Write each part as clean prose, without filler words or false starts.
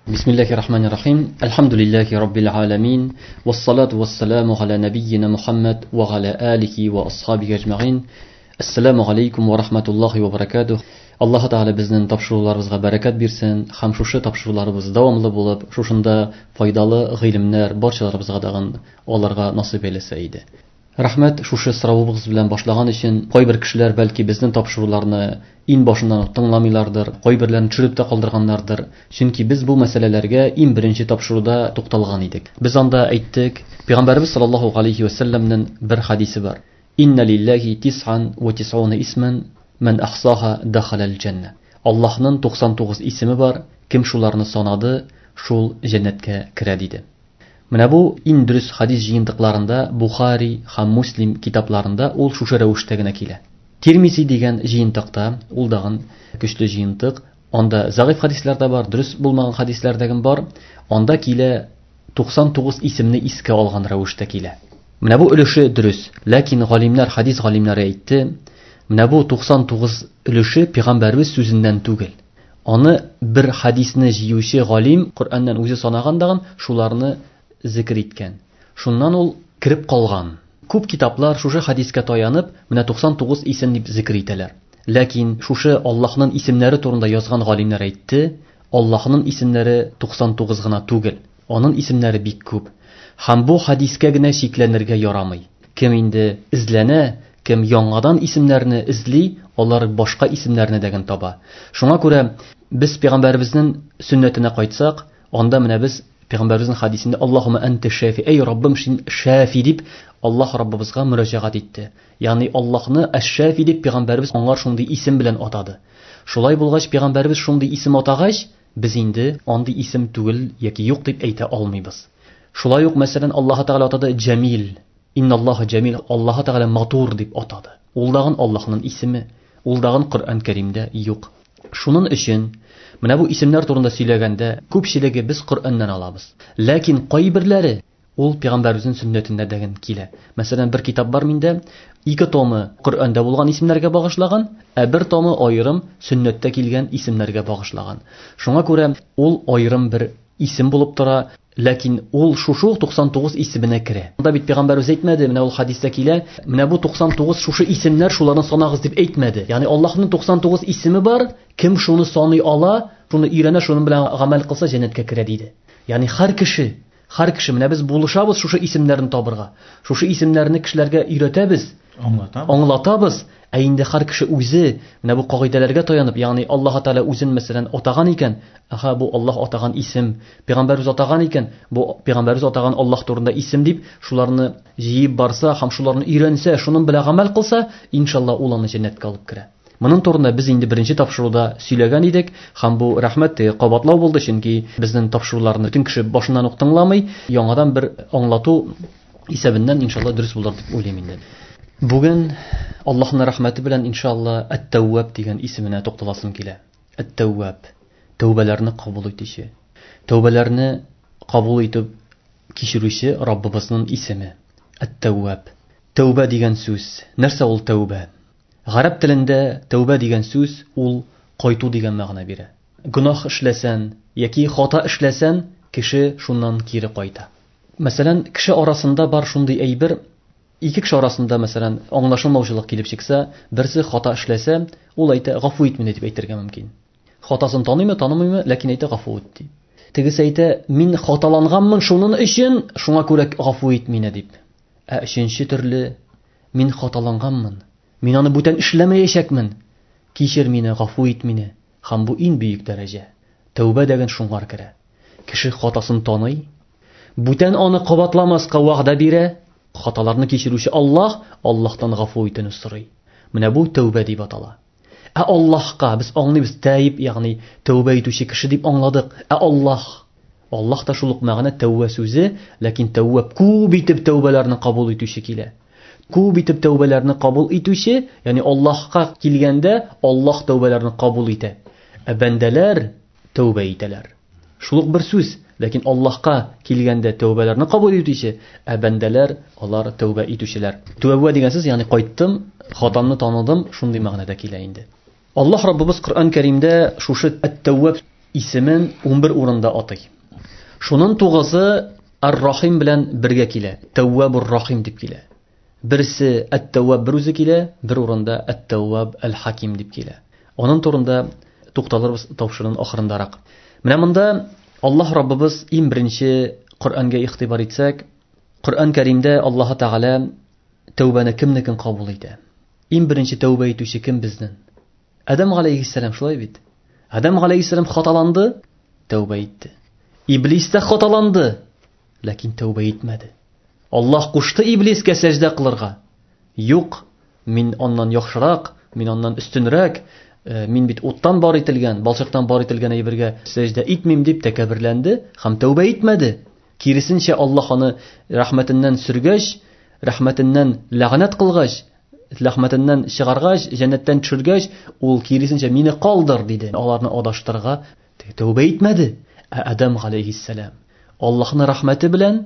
Бисмиллахи рахмани рахим. Әлхәмдүлилләһи раббил аламин. Вассалату вассаламу аля набийина Мухаммад ва аля алихи ва асхабихи ажмаин. Ассаламу алейкум ва рахматуллахи ва баракатух. Аллаһ Тәгалә безнең тапшыруларыбызга бәрәкәт бирсен һәм шушы тапшыруларыбыз дәвамлы булып, шушында файдалы гыйлемнәр барчаларыбызга дагын аларга насыйп әйләсә иде. Рәхмәт шушы соравыбыз белән башлаган өчен. Кайбер кешеләр бәлки безнең тапшыруларны иң башыннан ук тыңламыйлардыр, кайберләрен төшереп тә калдырганнардыр. Чөнки без бу мәсьәләләргә иң беренче тапшыруда тукталган идек. Без анда әйттек, Пәйгамбәрбез саллаллаһу алейхи ва сәлләмнең бер хадисе бар. Инна лиллахи тис'ан ва тис'уна исман ман ахсаха дахалал җанна. Аллаһның 99 исеме бар, кем шуларны санады, шул җәннәткә керә диде. Менә бу иң дөрес хадис җыентыкларында Бухари һәм Муслим китапларында ул шушы рәвештә генә килә. Тирмизи дигән җыентыкта, ул дагын көчле җыентык, анда зәгыйфь хадислар да бар, дөрес булмаган хадислар да бар. Анда килә 99 исемне искә алган рәвештә килә. Менә бу өлеше дөрес, ләкин галимнәр, хадис галимнәре әйтте, менә бу 99 өлеше пәйгамбәрбез сүзеннән түгел. Аны бер хадисне җыючы галим Коръәннән үзе санаган дагын шуларны зикр иткән. Шуннан ул кереп калган. Күп китаплар шушы хадискә таянып, менә 99 исем дип зикр итәләр. Ләкин шушы Аллаһның исемнәре турында язган галимнәр әйтте, Аллаһның исемнәре 99 гына түгел, аның исемнәре бик күп. Һәм бу хадискә генә чикләнергә ярамый. Кем инде эзләнә, кем яңадан исемнәрне эзли, алар башка исемнәрне дә генә таба. Шуңа күрә без пәйгамбәребезнең сөннәтенә кайтсак, анда менә без Пәйгамбәребезнең хадисендә Аллаһумма анта шафи, эй Раббым, син шафи дип Аллаһ Раббыбызга мөрәҗәгать итте. Ягъни Аллаһны әш-Шафи дип пәйгамбәребез аңар шундый исем белән атады. Шулай булгач, пәйгамбәребез шундый исем атагач, без инде андый исем түгел яки юк дип әйтә алмыйбыз. Шулай ук, мәсәлән, Аллаһ Тәгалә атады Җамил. Инналлаһа Җамил, Аллаһ Тәгалә матур дип атады. Ул дагын Аллаһның исеме, ул дагын Коръән Кәримдә юк. Шуның өчен менә бу исемнәр турында сөйләгәндә күпчелеге без Коръәннән алабыз. Ләкин кайберләре ул пәйгамбәребезнең сөннәтендә дә килә. Мәсәлән, бер китап бар миндә, 2 томы Коръәндә булган исемнәргә багышлаган, ә бер томы аерым сөннәттә килгән исемнәргә багышлаган. Шуңа күрә ул аерым бер исем булып тора, ләкин ул шушы ук 99 исеменә керә. Анда бит пәйгамбәребез әйтмәде, менә ул хадистә килә, менә бу 99 шушы исемнәр, шуларны санагыз дип әйтмәде. Ягъни Аллаһның 99 исеме бар, кем шуны саный ала, шуны өйрәнә, шуның белән гамәл кылса җәннәткә керә диде. Ягъни һәр кеше, һәр кеше, менә без булышабыз шушы исемнәрне табырга. Шушы исемнәрне кешеләргә өйрәтәбез, аңлатабыз. Аңлатабыз. Ә инде һәр кеше үзе менә бу кагыйдәләргә таянып, ягъни Аллаһ Тәгалә үзен мәсәлән атаган икән, аһа бу Аллаһ атаган исем, пәйгамбәребез атаган икән, бу пәйгамбәребез атаган Аллаһ турында исем дип, шуларны җыеп барса һәм шуларны өйрәнсә, шуның белән гамәл кылса, иншалла ул аны җәннәткә алып керә. Моның турында без инде беренче тапшыруда сөйләгән идек, һәм бу рәхмәт кабатлау булды, чөнки безнең тапшыруларны бөтен кеше башыннан ук тыңламый, яңадан бер аңлату исәбеннән иншалла дөрес булыр дип уйлыйм инде. Бүген Аллаһның рәхмәте белән иншалла Әт-Тәүваб дигән исеменә тукталасым килә. Әт-Тәүваб, тәүбәләрне кабул итүче, тәүбәләрне кабул итеп кичерүче Раббыбызның исеме. Әт-Тәүваб. Тәүбә дигән сүз. Нәрсә ул тәүбә? Гарәп телендә тәүбә дигән сүз ул кайту дигән мәгънә бирә. Гөнаһ эшләсән яки хата эшләсән, кеше шуннан кире кайта. Мәсәлән, кеше арасында бар шундый әйбер, ике кеше арасында, мәсәлән, аңлашылмаучылык килеп чыкса, берсе хата эшләсә, ул әйтә, гафу ит мине дип әйтергә мөмкин. Хатасын таныймы, танымыймы, ләкин әйтә гафу ит дип. Тегесе әйтә, мин хаталанганмын шуның өчен, шуңа күрә гафу ит мине дип. Ә өченче төрле, мин хаталанганмын, мин аны бүтән эшләмәячәкмен, кичер мине, гафу ит мине. Һәм бу иң бөек дәрәҗә. Тәүбә дигән шуңар керә. Кеше хатасын таный, бүтән аны кабатламаска вәгъдә бирә, хаталарны кичерүче Аллаһ, Аллаһтан гафу итүне сорый. Менә бу тәүбә дип атала. Ә Аллаһка без аңлыйбыз тәйб, ягъни тәүбә итүче кеше дип аңладык. Ә Аллаһ, Аллаһ та шул ук мәгънә тәүбә сүзе, ләкин тәүбә күп итеп тәүбәләрне кабул итүче килә. Күп итеп тәүбәләрне кабул итүче, ягъни Аллаһка килгәндә Аллаһ тәүбәләрне кабул итә. Ә бәндәләр тәүбә итәләр. Шул ук бер сүз, ләкин Аллаһка килгәндә тәүбәләрне кабул итүче, ә бәндәләр алар тәүбә итүчеләр. Тәүбә дигән сүз, ягъни кайттым, хатамны таныдым, шундый мәгънәдә килә инде. Аллаһ Раббыбыз Коръән Кәримдә шушы Әт-Тәүваб исемен 11 урында атый. Шунын 9-ы Ар-Рахим белән бергә килә. Тәввабур Рахим дип килә. Берсе Ат-Тәвваб бер үзе килә, бер урында Ат-Тәвваб Аль-Хаким дип килә. Аның турында тукталырбыз тапшыруның ахырындарак. Менә монда Аллаһ Раббыбыз иң беренче Коръәнгә игътибар итсәк, Коръән Кәримдә Аллаһ Тәгалә тәүбәне кемнекен кабул итә? Иң беренче тәүбә итүче кем безнең? Адәм галәйһиссәлам, шулай бит? Адәм галәйһиссәлам хаталанды, тәүбә итте. Иблис тә хаталанды, ләкин тәүбә итмәде. Аллаһ кушты иблискә сәҗдә кылырга. Юк, мин аннан яхшырак, мин аннан өстенрәк, мин бит уттан бар ителгән, балчыктан бар ителгән әйбергә сәҗдә итмим дип тәкәбберләнде һәм тәүбә итмәде. Киресенчә, Аллаһ аны рәхмәтеннән сөргәч, рәхмәтеннән ләгънәт кылгач, рәхмәтеннән чыгаргач, җәннәттән төшергәч, ул киресенчә мине калдыр диде. Аларны адаштырырга тәүбә итмәде. Ә Адәм галәйһиссәлам Аллаһның рәхмәте белән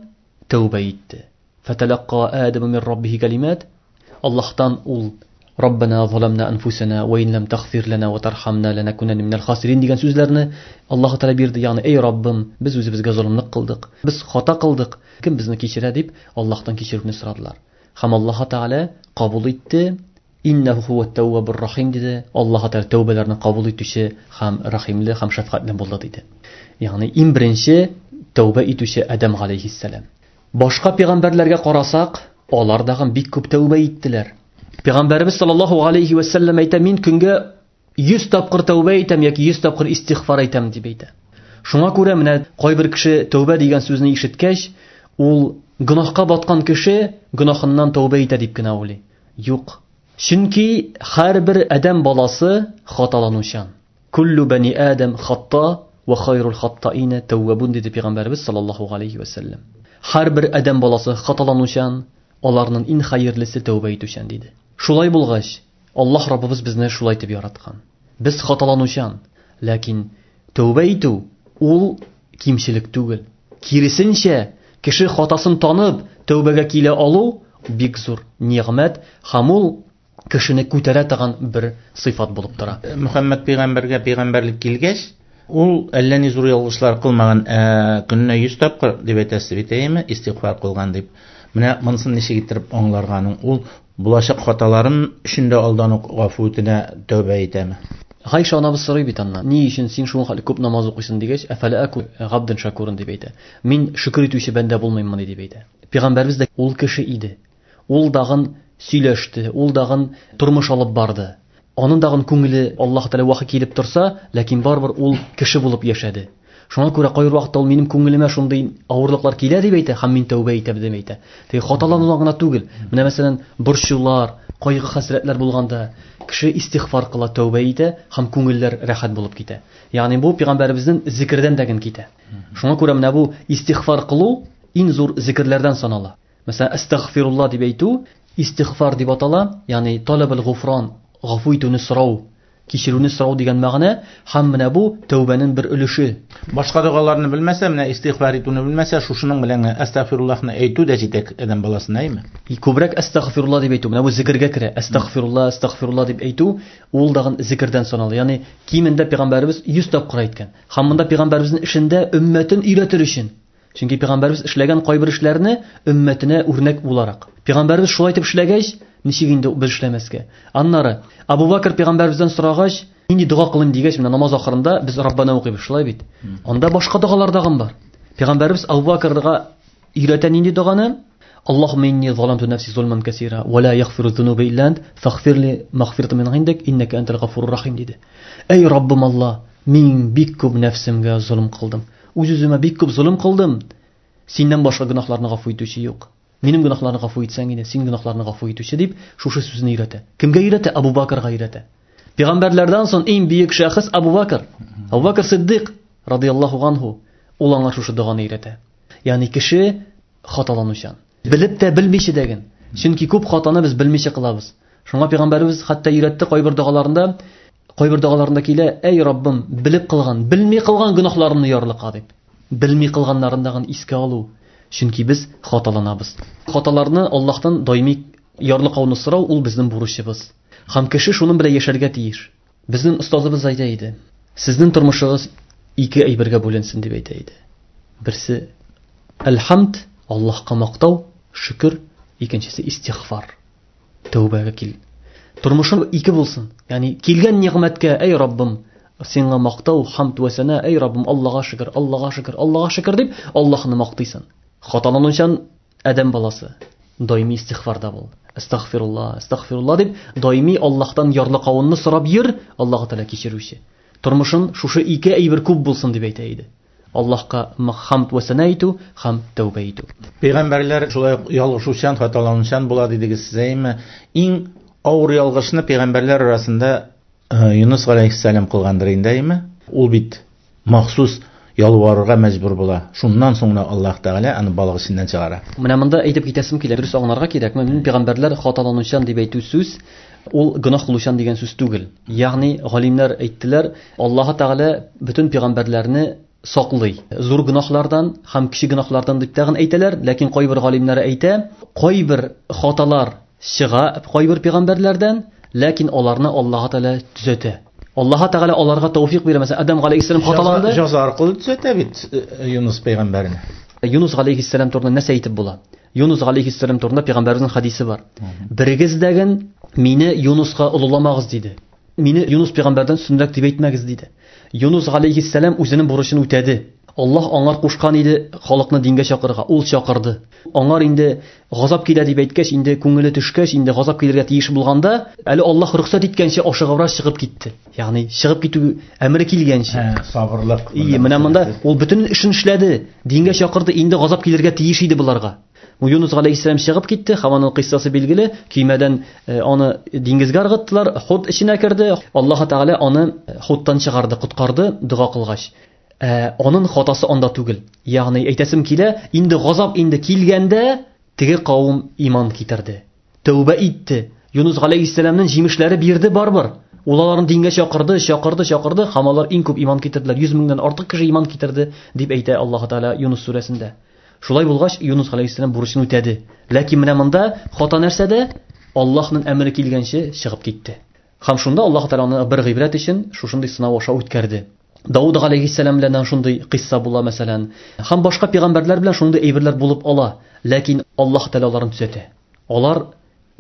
тәүбә итте. Фаталакка Адаму мин раббихи калимат. Аллаһтан ул Раббана заламна анфусана ва ин лам тагфир лана ва тархамна ланакунанна минал хасирин дигән сүзләрне Аллаһ Тәгалә бирде. Ягъни, эй Раббым, без үзебезгә золымлык кылдык, без хата кылдык, кем безне кичерә дип Аллаһтан кичерүне сорадылар. Һәм Аллаһ Тәгалә кабул итте. Иннәһу хуат тәввабур рахим диде. Аллаһ Тәгалә тәүбәләрне кабул итүче һәм рәхимле һәм шәфкатьле булды диде. Ягъни иң беренче тәүбә итүче Адәм галәйһиссәлам. Башка пәйгамбәрләргә карасак, алар дагы бик күп тәүбә иттеләр. Пәйгамбәребез саллаллаһу алейхи ва сәлләм әйтә, мин көнгә 100 тапкыр тәүбә итәм яки 100 тапкыр истигъфар әйтәм дип әйтә. Шуңа күрә менә кайбер кеше тәүбә дигән сүзне ишеткәч, ул гөнаһка баткан кеше гөнаһыннан тәүбә итә дип кенә уйлый. Юк. Чөнки һәрбер адәм баласы хаталанучан. Куллу бани Адам хатта ва хайрул хаттаина тәввабун диде пәйгамбәребез саллаллаһу алейхи ва сәлләм. Һәрбер адәм баласы хаталанучан, аларның иң хәерлесе тәүбә итүчән диде. Шулай булгач, Аллаһ Раббыбыз безне шулай дип яраткан. Без хаталанучан, ләкин тәүбә итү ул кимчелек түгел. Киресенчә, кеше хатасын танып, тәүбәгә килә алу бик зур нигъмәт һәм ул кешене күтәрә торган бер сыйфат булып тора. Мөхәммәд пәйгамбәргә пәйгамбәрлек килгәч, ул әллә ни зур ялгышлар кылмаган, көненә 100 тапкыр дип әйтәсе бит, әйеме, истигъфар кылган дип. Менә монысын ничек иттереп аңларга аның? Ул булачак хаталарын өчен дә алдан ук гафу үтенә, тәүбә итәме? Гайша анабыз сорый бит аннан. Ни өчен син шуңа хәтле күп намаз укыйсың дигәч, әфәлә аку габден шакурын дип әйтә. Мин шөкер итүче бәндә булмыйммыни дип әйтә. Пәйгамбәребез дә ул кеше иде. Ул дагын сөйләште, ул дагын тормыш алып барды. Аның дагын күңеле Аллаһ Тәгалә вахи килеп торса, ләкин барыбер ул кеше булып яшәде. Шуңа күрә кайбер вакытта ул минем күңелемә шундый авырлыклар килә дип әйтә, һәм мин тәүбә итәм дип әйтә. Теге хаталанудан гына түгел. Менә мәсәлән, борчулар, кайгы-хәсрәтләр булганда кеше истигъфар кыла, тәүбә итә һәм күңелләр рәхәт булып китә. Ягъни бу пәйгамбәребезнең зикердән дә генә китә. Шуңа күрә менә бу истигъфар кылу иң зур зикерләрдән санала. Мәсәлән, әстәгъфирулла дип әйтү истигъфар дип атала, ягъни талабул гуфран, гафу итүне сорау, кичерүне сорау дигән мәгънә, һәм менә бу тәүбәнең бер өлеше. Башка догаларны белмәсә, менә истигъфар итүне белмәсә, шушының белән генә әстәгъфируллаһны әйтү дә җитә адәм баласына, әйме? Күбрәк әстәгъфирулла дип әйтү, менә бу зикергә керә. Әстәгъфирулла, әстәгъфирулла дип әйтү, ул дагын зикердән санала. Ягъни кимендә пәйгамбәребез 100 тапкыр әйткән. Һәм монда пәйгамбәребезнең эшендә өммәтен өйрәтер өчен. Чөнки пәйгамбәребез эшләгән кайбер эшләрне өммәтенә үрнәк буларак. Пәйгамбәребез шулай итеп эшләгәч, ничек инде без эшләмәскә? Аннары Абу Бакр пәйгамбәребездән сорагач, нинди дога кылыйм дигәч, менә намаз ахырында без Раббана укыйбыз, шулай бит? Анда башка догалар дагын бар. Пәйгамбәребез Абу Бакрга өйрәтә нинди доганы? Аллаһумма инни заламту нафси зулман касира ва ла ягфиру зунуба илля ант фагфир ли магфиратан мин индик иннака антал гафурur рахим диде. Эй Раббым Аллаһ, мин бик күп нәфсемгә золым кылдым. Үз-үземә бик күп золым кылдым. Синнән башка гөнаһларны гафу итүче юк. Минем гөнаһларны гафу итсәң иде, син гөнаһларны гафу итүче дип шушы сүзне өйрәтә. Кемгә өйрәтә? Абу Бакрга өйрәтә. Пәйгамбәрләрдән соң иң бөек шәхес Абу Бакр. Абу Бакр Сиддык радияллаһу анһу. Ул аңа шушы доганы өйрәтә. Ягъни кеше хаталанучан. Белеп тә белмичә дәген. Чөнки күп хатаны без белмичә кылабыз. Шуңа пәйгамбәребез хәтта өйрәтте кайбер догаларында, кайбер догаларында килә, әй Раббым, белеп кылган, белми кылган гөнаһларымны ярлыка дип. Белми кылганнарын дагын искә алу. Чөнки без хаталанабыз. Хаталарны Аллаһтан даими ярлыкауны сорау ул безнең бурычыбыз. Һәм кеше шуның белән яшәргә тиеш. Безнең остазыбыз әйтә иде: "Сезнең тормышыгыз ике әйбергә бүленсен дип әйтә иде. Берсе әлхамд, Аллаһка мактау, шөкер, икенчесе истигъфар. Тәүбәгә кил. Тормышың ике булсын. Ягъни килгән нигъмәткә, әй Раббым, сиңа мактау, хамд вә сана, әй Раббым, Аллаһка шөкер, Аллаһка шөкер, Аллаһка шөкер дип Аллаһны мактыйсың. Хаталанучан адәм баласы даими истигъфарда бул. Астагфирулла, астагфирулла дип даими Аллаһтан ярлыкавынны сорап йөр, Аллаһ Тәгалә кичерүче. Тормышын шушы ике әйбер күп булсын дип әйтә иде. Аллаһка хамд вә сана итү һәм тәүбә итү. Пәйгамбәрләр шулай ук ялгышучан, хаталанучан була дидегез сез, әйме? Иң авыр ялгышны пәйгамбәрләр арасында Юнус галәйһиссәлам кылгандыр инде, әйме? Ул бит махсус ялварырга мәҗбүр була. Шуннан соң гына Аллаһ Тәгалә аны балык эченнән чыгара. Менә монда әйтеп китәсем килә, дөрес аңларга кирәк. Мин пәйгамбәрләр хаталанучан дип әйтү сүз, ул гөнаһ кылучан дигән сүз түгел. Ягъни галимнәр әйттеләр, Аллаһ Тәгалә бөтен пәйгамбәрләрне саклый. Зур гөнаһлардан һәм кече гөнаһлардан дип тагын әйтәләр, ләкин кайбер галимнәр әйтә, кайбер хаталар чыга кайбер пәйгамбәрләрдән, ләкин аларны Аллаһ Тәгалә төзәтә. Аллаһ Тәгалә аларга тәүфик бирә. Мәсәлән, Адам галәйһиссәлам хаталанды. Җәза аркылы төзәтә бит Юнус пәйгамбәрне. Юнус галәйһиссәлам турында нәрсә әйтеп була? Юнус галәйһиссәлам турында пәйгамбәребезнең хадисе бар. Берегез дәген мине Юнуска олыламагыз диде. Мине Юнус пәйгамбәрдән өстенрәк дип әйтмәгез диде. Юнус галәйһиссәлам үзенең бурычын үтәде. Аллаһ аңар кушкан иде халыкны дингә чакырырга, ул чакырды. Аңар инде газап килә дип әйткәч, инде күңеле төшкәч, инде газап килергә тиеш булганда, әле Аллаһ рөхсәт иткәнче ашыгыбрак чыгып китте. Ягъни чыгып китү әмере килгәнче. Сабырлык. И, менә монда ул бөтен эшен эшләде, дингә чакырды, инде газап килергә тиеш иде буларга. Юнус галәйһиссәлам чыгып китте, һәм аның кыйссасы билгеле, көймәдән аны диңгезгә ыргыттылар, хут эченә керде. Аллаһ Тәгалә аны хуттан чыгарды, коткарды, дога кылгач. Аның хатасы анда түгел. Ягъни әйтәсем килә, инде газап инде килгәндә теге кавым иман китерде. Тәүбә итте. Юнус галәйһиссәламның җимешләре бирде барбыр. Ул аларны дингә чакырды, чакырды, чакырды, һәм алар иң күп иман китерделәр. 100 меңнән артык кеше иман китерде дип әйтә Аллаһ Тәгалә Юнус сүрәсендә. Шулай булгач, Юнус галәйһиссәлам бурычын үтәде. Ләкин менә монда хата нәрсәдә? Аллаһның әмере килгәнче чыгып китте. Һәм шунда Аллаһ Тәгалә аны бер гыйбрәт өчен шушындый сынау аша үткәрде. Дауд галәйһиссәлам белән шундый кыйсса була мәсәлән. Һәм башка пәйгамбәрләр белән шундый әйберләр булып ала. Ләкин Аллаһ Тәгалә аларны төзәтә. Алар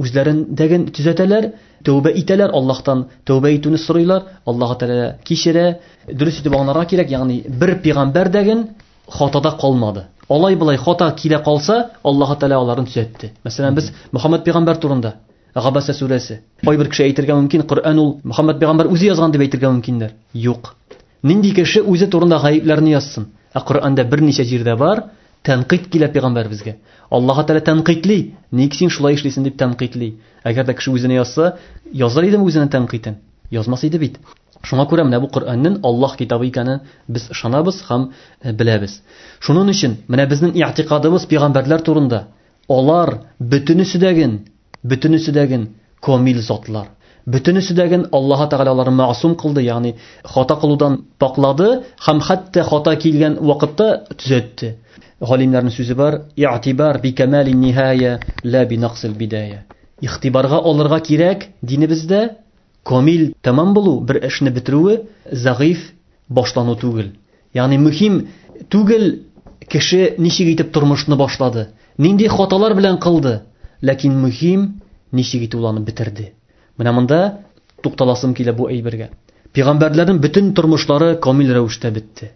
үзләрендәген төзәтәләр, тәүбә итәләр, Аллаһтан тәүбә итүне сорыйлар, Аллаһ Тәгалә кичерә. Дөрес итеп аңларга кирәк, ягъни бер пәйгамбәр дәген хатада калмады. Алай былай хата килә калса, Аллаһ Тәгалә аларны төзәтте. Мәсәлән, без Мөхәммәд пәйгамбәр турында Габаса сүрәсе. Кайбер кеше әйтергә мөмкин, Коръән ул Мөхәммәд пәйгамбәр үзе язган дип әйтергә мөмкиннәр. Юк. Нинди кеше үзе турында гаепләрне язсын? Ә Коръәндә берничә җирдә бар, тәнкыйть килә пәйгамбәребезгә. Аллаһ Тәгалә тәнкыйтьли, ник син шулай эшлисең дип тәнкыйтьли. Әгәр дә кеше үзенә язса, язар идеме үзенә тәнкыйтен? Язмас иде бит. Шуңа күрә менә бу Коръәннең Аллаһ китабы икәнен без ышанабыз һәм беләбез. Шуның өчен менә безнең иътикадыбыз пәйгамбәрләр турында, алар бөтенесе дәген камил затлар. Бөтенесе дәген Аллаһ Тәгалә аларны мәгъсум кылды, ягъни хата кылудан паклады һәм хәтта хата килгән вакытта төзәтте. Галимнәрнең сүзе бар: "Иътибар би камалин ниһая, ла би нақсил бидая". Игътибарга алырга кирәк динебездә камил тәмам булу, бер эшне бетерүе зәгыйф башлану түгел. Ягъни мөһим түгел кеше ничек итеп тормышны башлады, нинди хаталар белән кылды, ләкин мөһим ничек итеп ул аны бетерде. Менә монда тукталасым килә бу әйбергә. Пәйгамбәрләрнең бөтен тормышлары камил рәвештә бетте.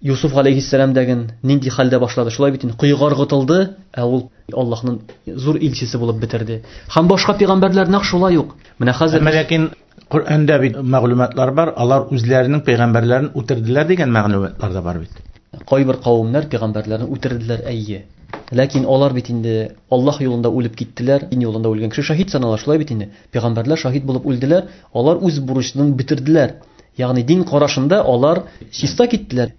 Юсуф галәйһиссәлам дәген нинди хәлдә башлады, шулай бит инде, коега ыргытылды, ә ул Аллаһның зур илчесе булып бетерде. Һәм башка пәйгамбәрләр нәкъ шулай ук. Менә хәзер Әмма ләкин Коръәндә бит мәгълүматлар бар, алар үзләренең пәйгамбәрләрен үтерделәр дигән мәгълүматлар да бар бит. Кайбер кавымнар пәйгамбәрләрен үтерделәр, әйе. Ләкин алар бит инде Аллаһ юлында үлеп киттеләр. Дин юлында үлгән кеше шаһит санала, шулай бит инде. Пәйгамбәрләр шаһит булып үлделәр, алар үз бурычларын бетерделәр. Ягъни дин карашында алар чиста киттеләр.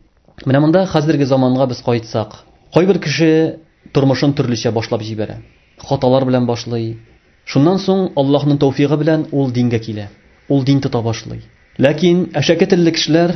Менә монда хәзерге заманга без кайтсак, кайбер кеше тормышын төрлечә башлап җибәрә. Хаталар белән башлый. Шуннан соң Аллаһның тәүфигы белән ул дингә килә. Ул дин тота башлый. Ләкин әшәке телле кешеләр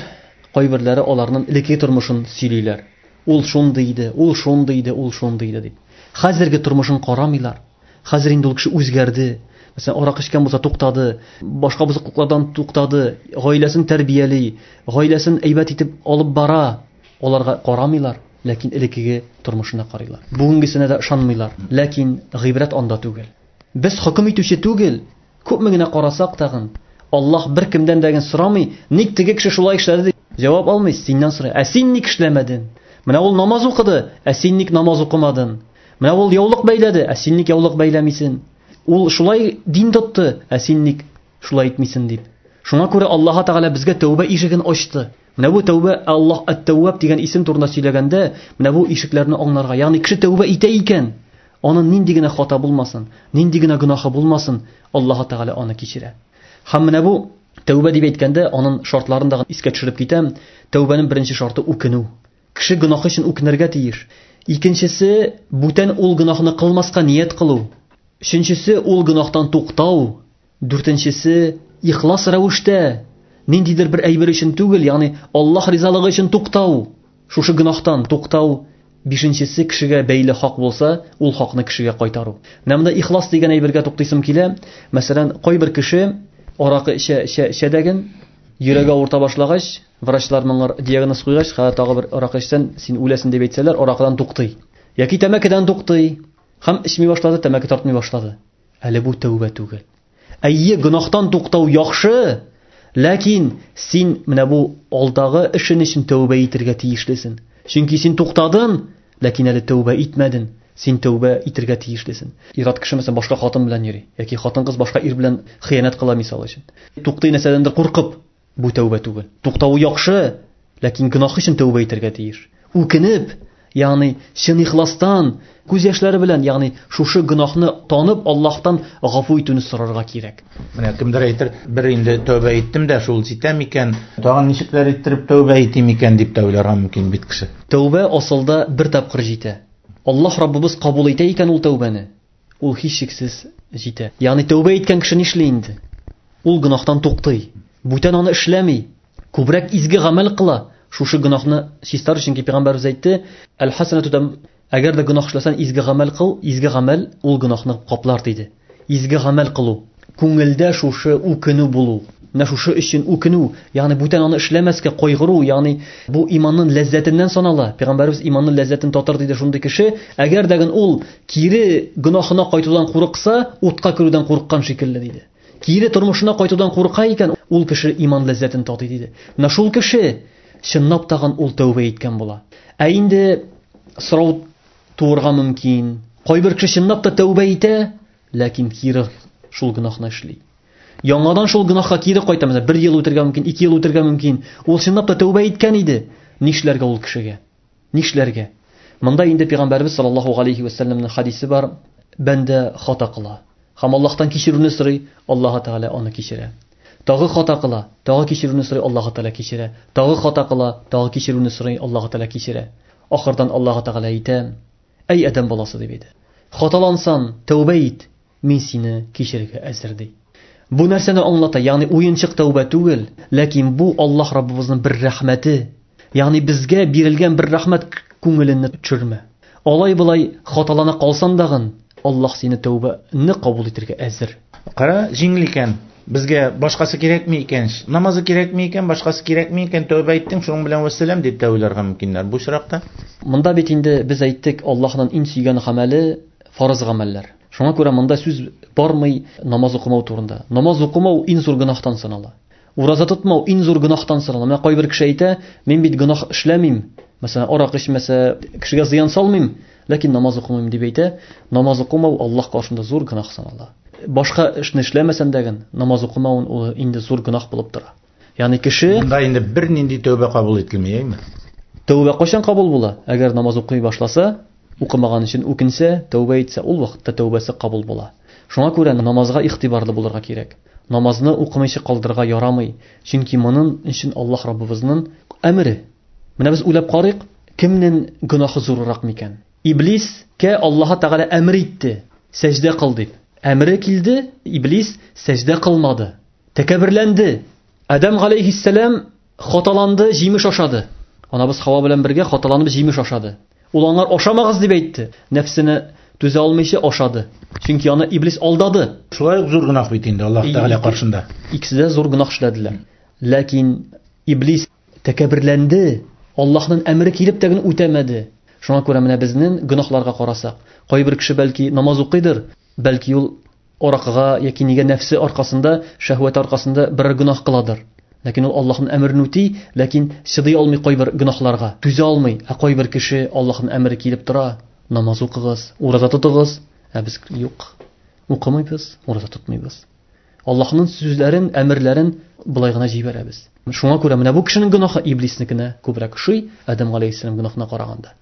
кайберләре аларның элекке тормышын сөйлиләр. Ул шундый иде, ул шундый иде, ул шундый иде дип. Хәзерге тормышын карамыйлар. Хәзер инде ул кеше үзгәрде. Мәсәлән, аракы эчкән булса туктады, башка бозыклыклардан туктады, гаиләсен тәрбияли, гаиләсен әйбәт итеп алып бара. Аларга карамыйлар, ләкин элеккеге тормышына карыйлар. Бүгенгесенә дә ышанмыйлар, ләкин гыйбрәт анда түгел. Без хөкем итүче түгел. Күпме генә карасак тагын, Аллаһ бер кемдән дә сорамый, ник теге кеше шулай эшләде дип җавап алмый, синнән сорый. Ә син ник эшләмәдең? Менә ул намаз укыды, ә син ник намаз укымадың? Менә ул яулык бәйләде, ә син ник яулык бәйләмисең? Ул шулай дин тотты, ә син ник шулай итмисең дип. Шуңа күрә Аллаһ Тәгалә безгә тәүбә ишеген ачты. Менә бу тәүбә, Аллаһ ат-Тәвваб дигән исем турында сөйләгәндә, менә бу ишекләрне аңларга, ягъни кеше тәүбә итә икән, аның нинди генә хата булмасын, нинди генә гөнаһы булмасын, Аллаһ Тәгалә аны кичерә. Һәм менә бу тәүбә дип әйткәндә, аның шартларын да искә төшереп китәм. Тәүбәнең беренче шарты үкенү. Кеше гөнаһы өчен үкенергә тиеш. Икенчесе, бүтән ул гөнаһны кылмаска ният кылу. Өченчесе, ул гөнаһтан туктау. Дүртенчесе, ихлас рәвештә, ниндидер бер әйбер өчен түгел, ягъни Аллаһ ризалыгы өчен туктау. Шушы гөнаһтан туктау. Бишенчесе, кешегә бәйле хак булса, ул хакны кешегә кайтару. Менә монда ихлас дигән әйбергә туктыйсым килә. Мәсәлән, кайбер кеше аракы эчә, эчә, эчә дәген, йөрәге авырта башлагач, врачлар моңа диагноз куйгач, хәзер тагы бер аракы эчсән, син үләсең дип әйтсәләр, аракыдан туктый. Яки тәмәкедән туктый. Һәм эчми башлады, тәмәке тартмый башлады. Әле бу тәүбә түгел. Әйе, гөнаһтан туктау яхшы, ләкин син менә бу алдагы эшен өчен тәүбә итергә тиешлесең. Чөнки син туктадың, ләкин әле тәүбә итмәдең. Син тәүбә итергә тиешлесең. Ир-ат кеше мәсәлән башка хатын белән йөри, яки хатын-кыз башка ир белән хыянәт кыла мисал өчен. Туктый нәрсәдәндер куркып, бу тәүбә түгел. Туктавы яхшы, ләкин гөнаһ өчен тәүбә итергә тиеш. Үкенеп, ягъни чын ихластан, күз яшьләре белән, ягъни шушы гөнаһны танып, Аллаһтан гафу итүне сорарга кирәк. Менә кемдер әйтер, бер инде тәүбә иттем дә, шул җитә микән? Тагын ничекләр иттереп тәүбә итим икән дип тә уйларга мөмкин бит кеше. Тәүбә асылда бер тапкыр җитә. Аллаһ Раббыбыз кабул итә икән ул тәүбәне, ул һичшиксез җитә. Ягъни тәүбә иткән кеше нишли инде? Ул гөнаһтан туктый. Бүтән аны эшләми. Күбрәк изге гамәл кыла. Шушы гөнаһны чистар, чөнки пәйгамбәрбез әйтте, әл-хасанату там, әгәр дә гөнаһ эшләсәң, изге гамәл кыл, изге гамәл ул гөнаһны каплар диде. Изге гамәл кылу, күңелдә шушы үкенү булу. Менә шушы өчен үкенү, ягъни бүтән аны эшләмәскә кайгыру, ягъни бу иманның ләззәтеннән санала. Пәйгамбәрбез иманның ләззәтен татыр диде шундый кеше, әгәр дә ул кире гөнаһына кайтудан курыкса, утка керүдән курыккан шикелле диде. Кире тормышына кайтудан курка икән, ул кеше иман ләззәтен татый диде. Менә шул кеше чынлап тагын ул тәүбә иткән була. Ә инде сорау туырга мөмкин. Кайбер кеше чынлап та тәүбә итә, ләкин кире шул гөнаһны эшли. Яңадан шул гөнаһка кире кайта, мәсәлән, бер ел үтергә мөмкин, ике ел үтергә мөмкин. Ул чынлап та тәүбә иткән иде. Нишләргә ул кешегә? Нишләргә? Монда инде Пәйгамбәрбез саллаллаһу алейхи ва сәлләмнең хадисе бар. Бәндә хата кыла. Һәм Аллаһтан кичерүне сорый, Аллаһ Тәгалә аны кичерә. Тагы хата кыла, тагы кичерүне сорый, Аллаһ Тәгалә кичерә. Тагы хата кыла, тагы кичерүне сорый, Аллаһ Тәгалә кичерә. Ахырдан Аллаһ Тәгалә әйтә: "Әй адәм баласы" дип әйтә. Хаталансан, тәүбә ит, мин сине кичерергә әзер ди. Бу нәрсәне аңлата? Ягъни уенчык тәүбә түгел, ләкин бу Аллаһ Раббыбызның бер рәхмәте. Ягъни безгә бирелгән бер рәхмәт, күңелеңне төшермә. Алай былай хаталана калсан дагын, Аллаһ сине тәүбәне кабул итәргә әзер. Кара, җиңел икән. Безгә башкасы кирәкми икән. Намазы кирәкми икән, башкасы кирәкми икән, тәүбә иттең, шуның белән вәссәлам дип тә уйларга мөмкиннәр бу очракта. Монда бит инде без әйттек, Аллаһның иң сөйгән гамәле фарыз гамәлләр. Шуңа күрә монда сүз бармый намаз укымау турында. Намаз укымау иң зур гөнаһтан санала. Ураза тотмау иң зур гөнаһтан санала. Менә кайбер кеше әйтә, мин бит гөнаһ эшләмим. Мәсәлән, арак эчмәсә, кешегә зыян салмыйм, ләкин намаз укымыйм дип әйтә. Намаз укымау Аллаһ каршында зур гөнаһ санала. Башка эшне эшләмәсәң дә, намаз укымавын ул инде зур гөнаһ булып тора. Ягъни кеше Монда инде бернинди тәүбә кабул ителми, әйме? Тәүбә кайчан кабул була? Әгәр намаз укый башласа, укымаган өчен үкенсә, тәүбә итсә, ул вакытта тәүбәсе кабул була. Шуңа күрә намазга игътибарлы булырга кирәк. Намазны укымыйча калдырырга ярамый, чөнки моның өчен Аллаһ Раббыбызның әмере. Менә без уйлап карыйк, кемнең гөнаһы зуррак микән? Иблискә Аллаһ Тәгалә әмер итте, сәҗдә кыл дип. Әмере килде, иблис сәҗдә кылмады. Тәкәбберләнде. Адам галәйһиссәлам хаталанды, җимеш ашады. Анабыз Хава белән бергә хаталанып җимеш ашады. Ул аңар ашамагыз дип әйтте. Нәфсенә Түзә алмыйча ашады. Чөнки аны иблис алдады. Шулай ук зур гөнаһ бит инде Аллаһ Тәгалә каршында. Икесе дә зур гөнаһ эшләделәр. Ләкин иблис тәкәбберләнде. Аллаһның әмере килеп тә генә үтәмәде. Шуңа күрә менә безнең гөнаһларга карасак, кайбер кеше бәлки намаз укыйдыр, бәлки ул аракыга яки нигә нәфсе аркасында, шәһвәт аркасында берәр гөнаһ кыладыр. Ләкин ул Аллаһның әмерен үти, ләкин чыдый алмый кайбер гөнаһларга, түзә алмый. Ә кайбер кеше Аллаһның әмере килеп тора, намаз укыгыз, ураза тотыгыз, ә без юк, укымыйбыз, ураза тотмыйбыз. Аллаһның сүзләрен, әмерләрен былай гына җибәрәбез. Шуңа күрә менә бу кешенең гөнаһы иблиснекенә күбрәк ошый, Адәм галәйһиссәлам гөнаһына караганда.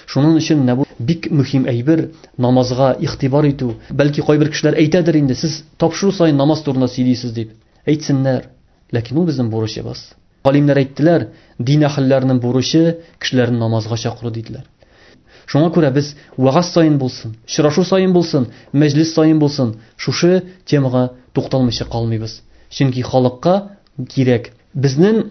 Шуның өчен менә бу бик мөһим әйбер, намазга игътибар итү. Бәлки кайбер кешеләр әйтәдер инде, сез тапшыру саен намаз турында сөйлисез дип. Әйтсеннәр. Ләкин ул безнең бурычыбыз. Галимнәр әйттеләр, дин әһелләренең бурычы кешеләрне намазга чакыру диделәр. Шуңа күрә без вәгазь саен булсын, очрашу саен булсын, мәҗлес саен булсын, шушы темага тукталмыйча калмыйбыз. Чөнки халыкка кирәк. Безнең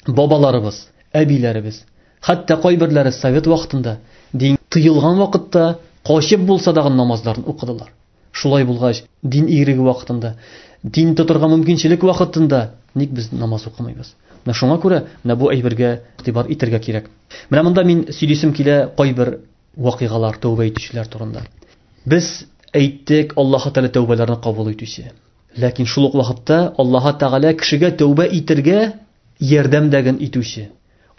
бабаларыбыз, әбиләребез, хәтта кайберләре совет вакытында, дин тыелган вакытта качып булса да намазларын укыдылар. Шулай булгач, дин иреге вакытында, дин тотырга мөмкинчелек вакытында ник без намаз укымыйбыз? Менә шуңа күрә менә бу әйбергә игътибар итәргә кирәк. Менә монда мин сөйлисем килә кайбер вакыйгалар, тәүбә итүчеләр турында. Без әйттек, Аллаһ Тәгалә тәүбәләрне кабул итүче. Ләкин шул ук вакытта Аллаһ Тәгалә кешегә тәүбә итәргә ярдәм дәген итүче.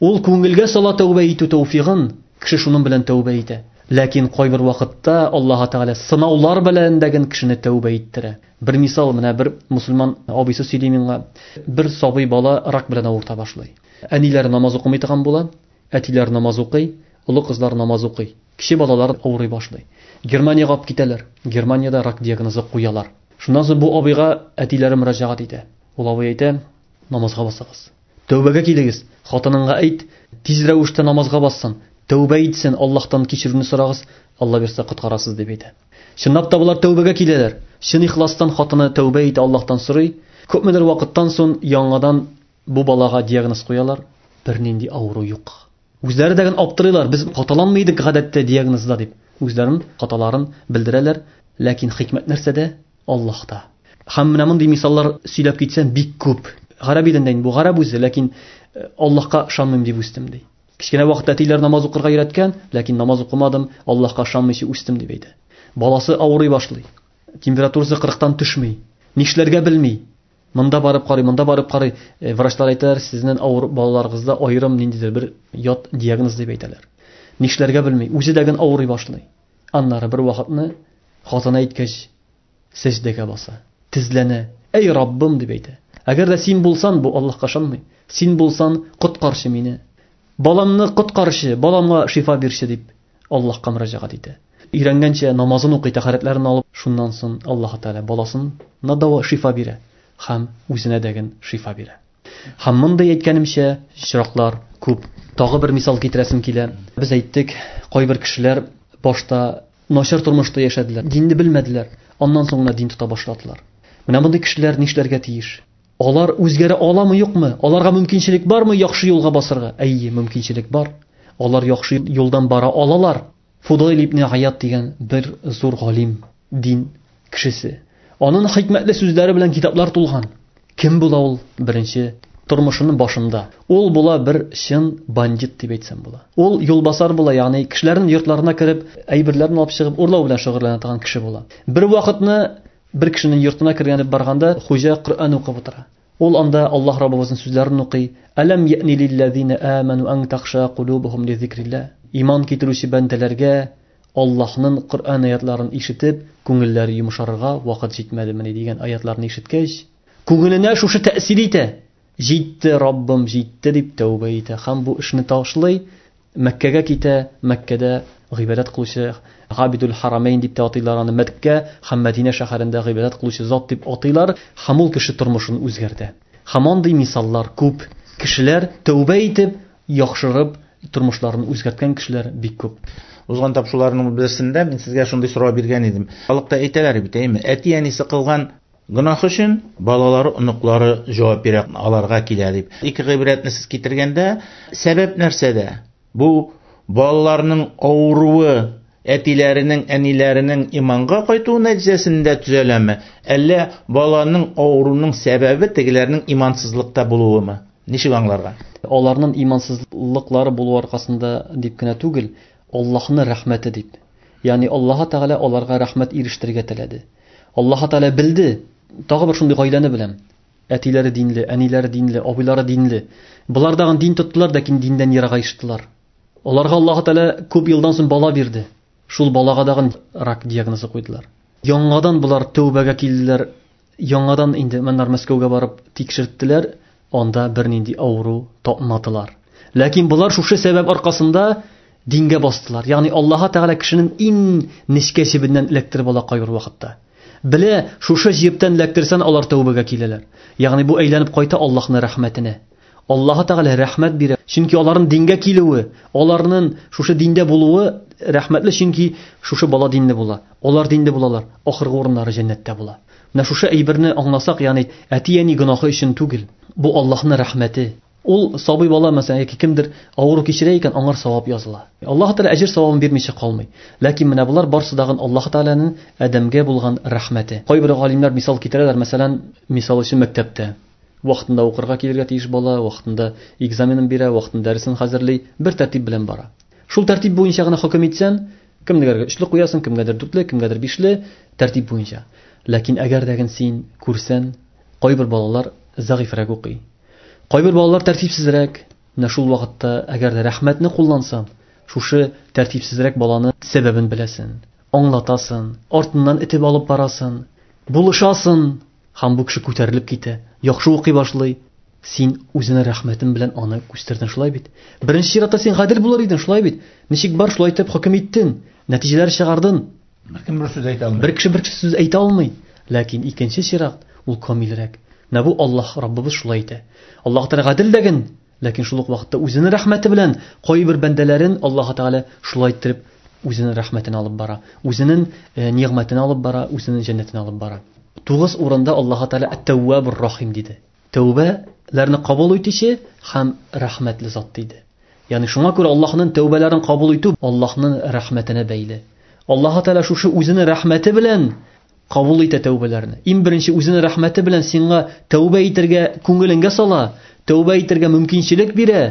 Ул күңелгә сала тәүбә итү тәүфигын, кеше шуның белән тәүбә итә. Ләкин кайбер вакытта Аллаһ Тәгалә сынаулар белән дәген кешене тәүбә иттерә. Бер мисал, менә бер мусульман абыйсы сөйли миңа, бер сабый бала рак белән авырта башлый. Әниләре намаз укымый торган була, әтиләре намаз укый, олы кызлар намаз укый. Кече балалар авырый башлый. Германиягә алып китәләр. Германиядә рак диагнозы куялар. Шуннан соң бу абыйга әтиләре мөрәҗәгать итә. Ул абый әйтә, намазга басыгыз. Тәүбәгә килегез. Хатыныңа әйт, тиз рәвештә намазга бассын. Тәүбә итсен, Аллаһтан кичерүне сорагыз, Алла бирсә коткарасыз дип әйтә. Чынлап та булар тәүбәгә киләләр. Чын ихластан хатыны тәүбә итә, Аллаһтан сорый. Күпмедер вакыттан соң яңадан бу балага диагноз куялар. Бернинди авыру юк. Үзләре дә аптырыйлар, без хаталанмый идек гадәттә диагнозда дип. Үзләренең хаталарын белдерәләр, ләкин хикмәт нәрсәдә? Аллаһта. Һәм менә мондый мисаллар сөйләп китсәм бик күп. Гарәп илендә инде бу гарәп үзе, ләкин Аллаһка ышанмыйм дип үстем ди. Кечкенә вакытта әтиләр намаз укырга өйрәткән, ләкин намаз укымадым, Аллаһка ышанмыйча үстем дип әйтә. Баласы авырый башлый. Температурасы 40-тан төшми. Нишләргә белми. Монда барып карый, монда барып карый. Врачлар әйтәләр, сезнең авыр балаларыгызда аерым ниндидер бер ят диагноз дип әйтәләр. Нишләргә белми, үзе дә генә авырый башлый. Аннары бер вакытны хатыны әйткәч, сәҗдәгә баса, тезләнә. Әй Раббым дип әйтә. Әгәр дә син булсан, бу Аллаһка ышанмый. Син булсан, коткарчы мине. Баламны коткарчы, баламга шифа бирче дип Аллаһка мөрәҗәгать итә. Өйрәнгәнчә намазын укый, тәһарәтләрен алып, шуннан соң Аллаһ Тәгалә баласына дава шифа бирә һәм үзенә дә шифа бирә. Һәм мондый әйткәнемчә, очраклар күп. Тагы бер мисал китерәсем килә. Без әйттек, кайбер кешеләр башта начар тормышта яшәделәр, динне белмәделәр, аннан соң гына дин тота башладылар. Менә мондый кешеләр нишләргә тиеш? Алар үзгәрә аламы, юкмы? Аларга мөмкинчелек бармы яхшы юлга басырга? Әйе, мөмкинчелек бар. Алар яхшы юлдан бара алалар. Фудойл ибн Аят дигән бер зур галим, дин кешесе. Аның хикмәтле сүзләре белән китаплар тулган. Кем була ул? Беренче тормышының башында. Ул була бер чын бандит дип әйтсәм була. Ул юлбасар була, ягъни кешеләрнең йортларына кереп, әйберләрен алып чыгып, урлау белән шөгыльләнә торган кеше була. Бер вакытны бер кешенең йортына кергән барганда хуҗа Коръән укып утыра. Ул анда Аллаһ Раббыбызның сүзләрен укый. Әләм яъни лилләзина аману ан тахша кулубухум ли зикрилlah. Иман китерүче бәндәләргә Аллаһның Коръән аятларын ишетеп, күңелләре йомшарырга вакыт җитмәдемени дигән аятларны ишеткәч, күңеленә шушы тәэсир итә. Җитте, Раббым, җитте дип тәүбә итә һәм бу эшне ташлый, Мәккәгә китә, Мәккәдә гыйбадәт кылучы Габидул Харамейн дип тә атыйлар аны, Мәккә һәм Мәдинә шәһәрендә гыйбадәт кылучы зат дип атыйлар, һәм ул кеше тормышын үзгәртә. Һәм андый мисаллар күп. Кешеләр тәүбә итеп, яхшырып, тормышларын үзгәрткән кешеләр бик күп. Узган тапшыруларның берсендә мин сезгә шундый сорау биргән идем. Халыкта әйтәләр бит, әйме, әти-әнисе кылган гөнаһ өчен балалары, оныклары җавап бирә, аларга килә дип. Ике гыйбрәтне сез китергәндә, сәбәп нәрсәдә? Бу балаларның авыруы Әтиләренең, әниләренең иманга кайтуы нәтиҗәсендә төзәләме? Әллә баланың авыруның сәбәбе тегеләрнең имансызлыкта булуымы? Ничек аңларга? Аларның имансызлыклары булу аркасында дип кенә түгел, Аллаһның рәхмәте дип. Ягъни Аллаһ Тәгалә аларга рәхмәт ирештерергә теләде. Аллаһ Тәгалә белде. Тагы бер шундый гаиләне беләм. Әтиләре динле, әниләре динле, абыйлары динле. Болар дагын дин тоттылар, ләкин диннән ерагаештылар. Аларга Аллаһ Тәгалә күп елдан соң бала бирде. Шул балага дагын рак диагнозы куйдылар. Яңадан болар тәүбәгә килделәр. Яңадан инде моннар Мәскәүгә барып тикшерттеләр, анда бернинди авыру тапмадылар. Ләкин болар шушы сәбәп аркасында дингә бастылар. Ягъни Аллаһ Тәгалә кешенең иң нечкә җебеннән эләктереп ала кайбер вакытта. Белә, шушы җептән эләктерсән, алар тәүбәгә киләләр. Ягъни бу әйләнеп кайта Аллаһның рәхмәтенә. Аллаһ Тәгалә рәхмәт бирә. Чөнки аларның дингә килүе, аларның шушы диндә булуы рәхмәтле, чөнки шушы бала динле була. Алар динле булалар, ахыргы урыннары җәннәттә була. Менә шушы әйберне аңласак, ягъни әти-әни гөнаһы өчен түгел, бу Аллаһның рәхмәте. Ул сабый бала, мәсәлән, яки кемдер авыру кичерә икән, аңар савап языла. Аллаһ Тәгалә әҗер савабын бирмичә калмый. Ләкин менә болар барсы дагын Аллаһ Тәгаләнең адәмгә булган рәхмәте. Кайбер галимнәр мисал китерәләр, мәсәлән, мисал өчен мәктәптә вакытында укырга килергә тиеш бала, вакытында экзаменын бирә, вакытында дәресен хәзерли, бер тәртип белән бара. Шул тәртип буенча гына хөкем итсән, кемгәдер өчле куясың, кемгәдер дүртле, кемгәдер бишле, тәртип буенча. Ләкин әгәр дә син күрсән, кайбер балалар зәгыйфрәк укый. Кайбер балалар тәртипсезрәк. Менә шул вакытта әгәр дә рәхмәтне куллансаң, шушы тәртипсезрәк баланы сәбәбен беләсең, аңлатасың, артыннан этеп алып барасың, булышасың, һәм бу кеше күтәрелеп китә, яхшы укый башлый. Син үзеңә рәхмәтең белән аны үстердең, шулай бит? Беренче чиратта син гадел булыр идең, шулай бит? Ничек бар, шулай итеп хөкем иттең, нәтиҗәләр чыгардың. Беркем бер сүз әйтә алмый. Бер кеше бер сүз әйтә алмый. Ләкин икенче чират ул камилрәк. Менә бу Аллаһ Раббыбыз шулай итә. Аллаһ Тәгалә гадел дәген, ләкин шул ук вакытта үзенең рәхмәте белән кайбер бәндәләрен Аллаһ Тәгалә шулай иттереп үзенең рәхмәтен алып бара, үзенең нигъмәтен алып бара, үзенең җәннәтен алып бара. 9 урында Аллаһ Тәгалә Ат-Тәввабур Рахим диде. Тәүбәләрне кабул итүче һәм рәхмәтле зат диде. Ягъни шуңа күрә Аллаһның тәүбәләрен кабул итү Аллаһның рәхмәтенә бәйле. Аллаһ Тәгалә шушы үзенең рәхмәте белән кабул итә тәүбәләрне. Иң беренче үзенең рәхмәте белән сиңа тәүбә итәргә күңелеңгә сала, тәүбә итәргә мөмкинчелек бирә,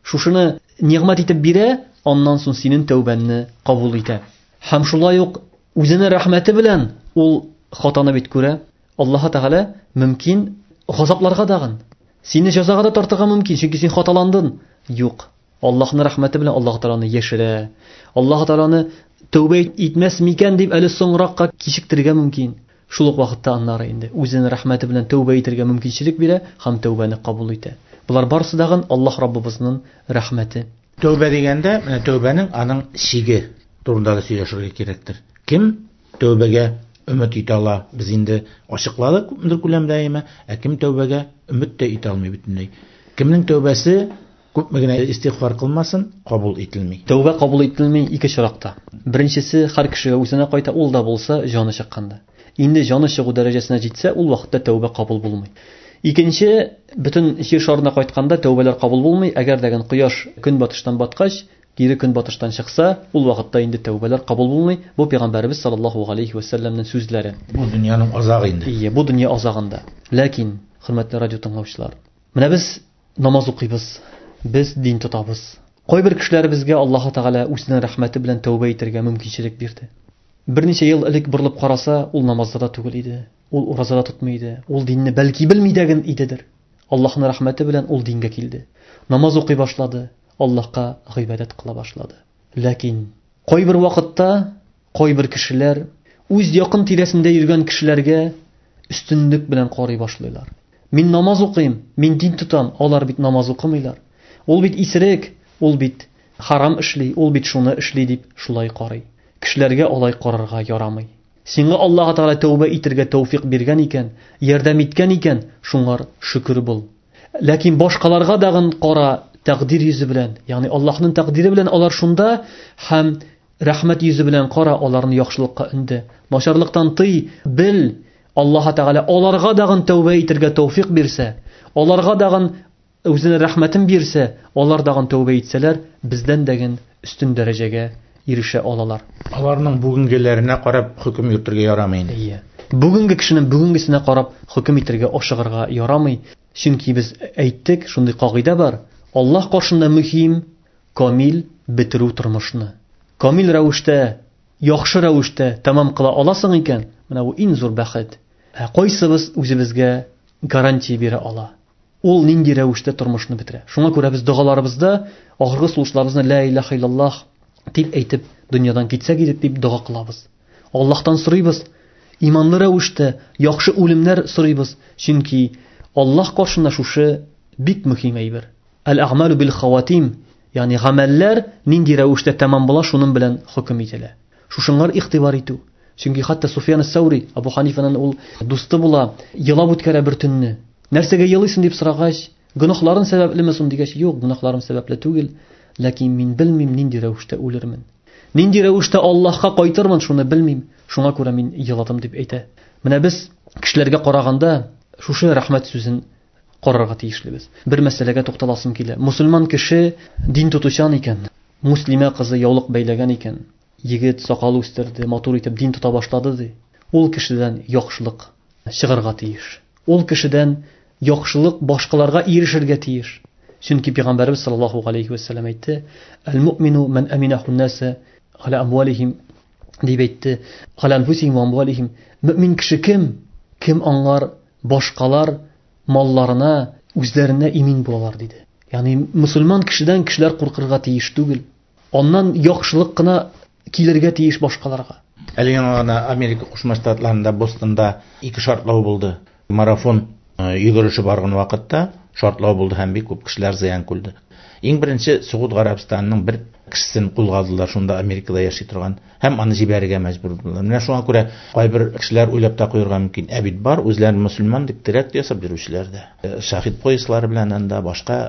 шушыны нигъмәт итеп бирә, аннан соң синең тәүбәңне кабул итә. Һәм шулай ук үзенең рәхмәте белән ул хатаны бит күрә. Аллаһ Тәгалә мөмкин газапларга дагын, сине җәзага да тартырга мөмкин, чөнки син хаталандың. Юк. Аллаһның рәхмәте белән Аллаһ Тәгаләне яшерә. Аллаһ Тәгаләне тәүбә итмәс микән дип әле соңракка кичектерергә мөмкин. Шул ук вакытта аннары инде үзенең рәхмәте белән тәүбә итәргә мөмкинчелек бирә һәм тәүбәне кабул итә. Болар барысы дагын Аллаһ Раббыбызның рәхмәте. Тәүбә дигәндә, менә тәүбәнең аның чиге турында да сөйләшергә кирәктер. Кем тәүбәгә өмет итә ала? Без инде ачыкладык күпмедер күләмдә, әйме? Ә кем тәүбәгә өмет тә итә алмый бөтенләй? Кемнең тәүбәсе күпме генә истигъфар кылмасын, кабул ителми. Тәүбә кабул ителми ике чиракта. Беренчесе һәр кешегә үзенә кайта, ул да булса җаны чыкканда. Инде җаны чыгу дәрәҗәсенә җитсә, ул вакытта тәүбә кабул булмый. Икенче, бөтен җир шарына кайтканда тәүбәләр кабул булмый. Әгәр дә кояш көнбатыштан баткач, кире көнбатыштан чыкса, ул вакытта инде тәүбәләр кабул булмый. Бу пәйгамбәребез саллаллаһу алейхи ва сәлләмнең сүзләре. Бу дөньяның азагы инде. Ие, бу дөнья азагында. Ләкин, хөрмәтле радио тыңлаучылар, менә без намаз укыйбыз, без дин тотабыз. Кайбер кешеләребезгә Аллаһ Тәгалә үзенең рәхмәте белән тәүбә итәргә мөмкинчелек бирде. Берничә ел элек борылып караса, ул намазда да түгел иде, ул ураза да тотмый иде, ул динне бәлки белми дә генә идедер. Аллаһның рәхмәте белән ул дингә килде. Намаз укый башлады, Аллаһка гыйбадәт кыла башлады. Ләкин кайбер вакытта кайбер кешеләр үз якын тирәсендә йөргән кешеләргә өстенлек белән карый башлыйлар. Мин намаз укыйм, мин дин тотам, алар бит намаз укымыйлар. Ул бит исерек, ул бит харам эшли, ул бит шуны эшли дип шулай карый. Кешеләргә алай карарга ярамый. Сиңа Аллаһ Тәгалә тәүбә итәргә тәүфик биргән икән, ярдәм иткән икән, шуңар шөкер бул. Ләкин башкаларга дагын кара тәкъдир йөзе белән, ягъни Аллаһның тәкъдире белән алар шунда һәм рәхмәт йөзе белән кара, аларны яхшылыкка өнде. Начарлыктан тый, бел, Аллаһ Тәгалә аларга дагын тәүбә итәргә тәүфик бирсә, аларга дагын үзенең рәхмәтен бирсә, алар дагын тәүбә итсәләр, бездән дәген өстен дәрәҗәгә ирешә алалар. Аларның бүгенгеләренә карап хөкем йөртергә ярамый инде. Әйе. Бүгенге кешенең бүгенгесенә карап хөкем итәргә ашыгырга ярамый. Чөнки без әйттек, шундый кагыйдә бар. Аллаһ каршында мөһим камил бетерү тормышны. Камил рәвештә, яхшы рәвештә тәмам кыла аласың икән, менә бу иң зур бәхет. Ә кайсыбыз үзебезгә гарантия бирә ала? Ул нинди рәвештә тормышны бетерә? Шуңа күрә без догаларыбызда ахыргы сулышларыбызны ла илаһа иллаллаһ дип әйтеп, дөньядан китсәк идек дип дога кылабыз. Аллаһтан сорыйбыз, иманлы рәвештә яхшы үлемнәр сорыйбыз, чөнки Аллаһ каршында шушы бик мөһим әйбер. Әл-әгъмалу бил хаватим, ягъни гамәлләр нинди рәвештә тәмам була, шуның белән хөкем ителә. Шушыңар игътибар итү. Чөнки хәтта Суфьян ас-Саури, Абу Ханифаның ул дусты була, елап үткәрә бер төнне. Нәрсәгә елыйсың дип сорагач, гөнаһларың сәбәплеме соң дигәч, юк, гөнаһларым сәбәпле түгел, ләкин мин белмим нинди рәвештә үлермен. Нинди рәвештә Аллаһка кайтырмын, шуны белмим. Шуңа күрә мин еладым дип әйтә. Менә без кешеләргә караганда шушы рәхмәт сүзен карарга тиешлебез. Бер мәсьәләгә тукталасым килә. Мусульман кеше дин тотучан икән, муслимә кызы яулык бәйләгән икән, егет сакал үстерде, матур итеп дин тота башлады ди. Ул кешедән яхшылык чыгарга тиеш. Ул кешедән яхшылык башкаларга ирешергә тиеш. Чөнки Пәйгамбәрбез саллаллаһу алейхи ва саллям әйтте: "Әл-муъмину ман аминаху ан-наса аля амвалихим" дип әйтте. "Аля анфусихим ва амвалихим". Мөмин кеше кем? Кем аңлар башкалар малларына, үзләренә имин булалар диде. Ягъни мусульман кешедән кешеләр куркырга тиеш түгел. Аннан яхшылык кына килергә тиеш башкаларга. Әле яңа гына Америка Кушма Штатларында Бостонда ике шартлау булды. Марафон йөгереше барган вакытта шартлау булды һәм бик күп кешеләр зыян күрде. Иң беренче Согуд Гарәбстанының бер кешесен кулга алдылар, шунда Америкада яши торган, һәм аны җибәрергә мәҗбүр булдылар. Менә шуңа күрә кайбер кешеләр уйлап та куярга мөмкин. Ә бит бар үзләрен мөселман дип теракт ясап йөрүчеләр дә. Шахид пояслары белән анда башка